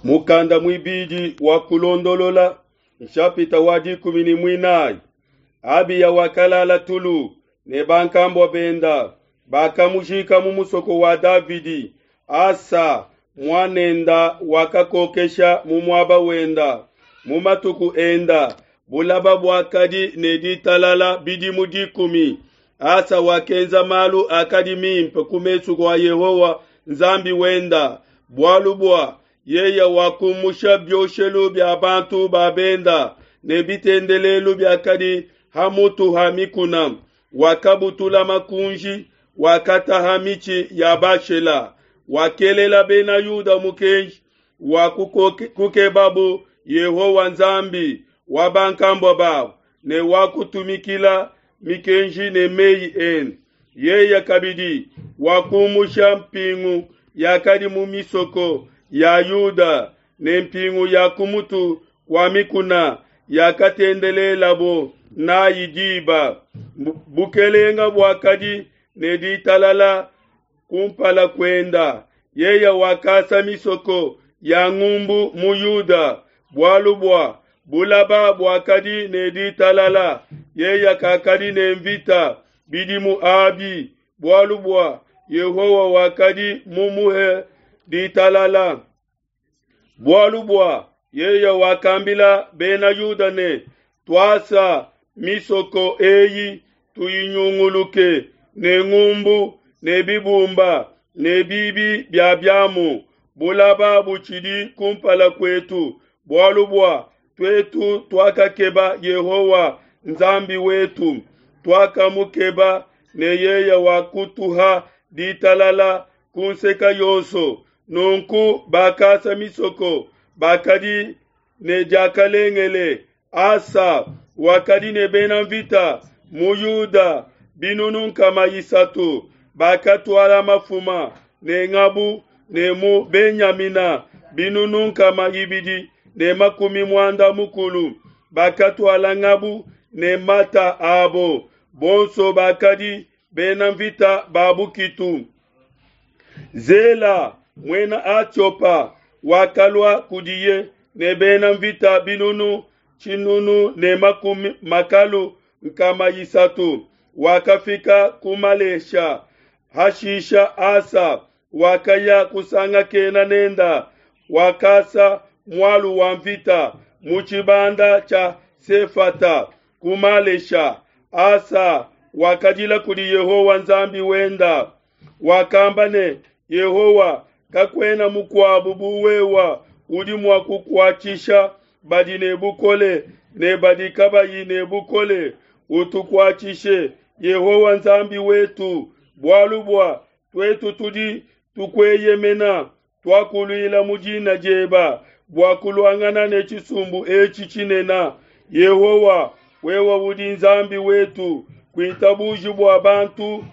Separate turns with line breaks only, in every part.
Mukanda muibidi wa Kulondolola, nshapita wa 14. Abiya wakalala tulu ne bankambua benda, bakamujika mu musoko wa Davidi. Asa muanenda wakakokesha mu muaba wenda. Mu matuku enda bulaba buakadi ne ditalala bidimu 10. Asa wakenza malu akadi mimpe ku mesu kua Yehowa Nzambi wenda, bualu bua yeye wakumusha bioshelu bia bantu ba benda ne bitendelelu biakadi ha mutu ha mikuna, wakabutula makunji, wakataha mitshi ya Bashela, wakelela bena Yuda mukenji wa kukebabu Yehowa Nzambi wa bankambua babo ne wa kutumikila mikenji ne meyi ende. Yeye kabidi wakumusha mpingu yakadi mu misoko ya Yuda ne mpingu ya ku mutu kwa mikuna yakatendelelabo nayi diba. Bukelenga buakadi ne ditalala kumpala kuenda. Yeye wakasa misoko ya ngumbu mu Yuda, bualu bua bulaba buakadi ne ditalala. Yeye kakadi ne mvita bidimu abi, bualu bua Yehowa wakadi mumuhe ditalala. Bualu bua yeye wakambila bena Yuda ne, tuasa misoko eyi tuyinyunguluke ne ngumbu ne bibumba ne bibi bia biamu, bulaba butshidi kumpala kuetu, bualu bua tuetu tuakakeba Yehowa Nzambi wetu, tuakamukeba ne yeye wakutuha ditalala ku nseka yonso. Nunku bakasa misoko bakadi ne diakalengele. Asa wakadi ne bena mvita mu Yuda 300,000, bakatuala mafuma ne ngabu, ne mu Benyamina 260,000, bakatuala ngabu ne mata abo, bonso bakadi bena mvita ba bukitu. Zela muena Atiopa wakalua kudiye ne bena mvita 1,300,000, wakafika ku Malesha. Hashisha Asa wakaya kusangakena nenda, wakasa mualu wa mvita mu tshibanda tshia Sefata ku Malesha. Asa wakadila kudi Yehowa Nzambi wenda, wakamba ne, Yehowa, kakuena mukuabu bu wewa udi mua kukuatshisha badi ne bukole ne badi kabayi ne bukole. Utukuatshishe, Yehowa Nzambi wetu, bualu bua tuetu tudi tukueyemena, tuakuluila mu dina dieba bua kuluangana ne tshisumbu etshi tshinene. Yehowa, wewe udi Nzambi wetu, kuitabuji bua bantu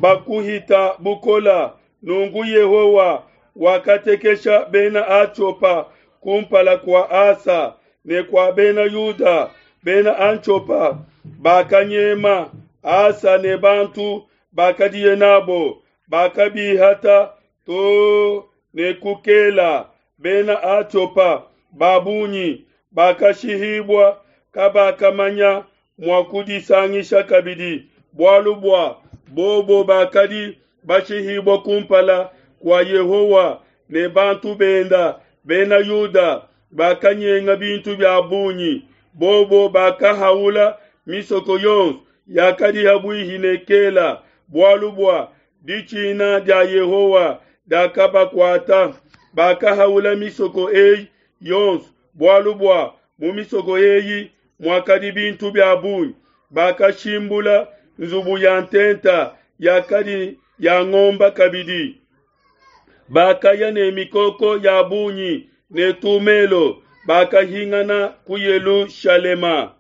bakuhita bukola. Nunku Yehowa wakatekesha bena Atiopa kumpala kua Asa ne kua bena Yuda. Bena Antiopa bakanyema Asa ne bantu bakadiye nabo, bakabihata to ne kukela. Bena Atiopa babunyi bakashihibua, kabakamanya mua kudisangisha kabidi, bualu bua bobo bakadi bashihibua kumpala kua Yehowa ne bantu benda. Bena Yuda bakanyenga bintu bia bungi, bobo bakahaula misoko yonso yakadi habuihi ne Kela, bualu bua ditshina dia Yehowa diakabakuata. Bakahaula misoko eyi yonso, bualu bua mu misoko eyi muakadi bintu bia bungi. Bakashimbula nzubu ya ntenta yakadi ya ngomba kabidi. Bakaya ne mikoko ya bungi ne tumelo, bakahingana ku Yelushalema.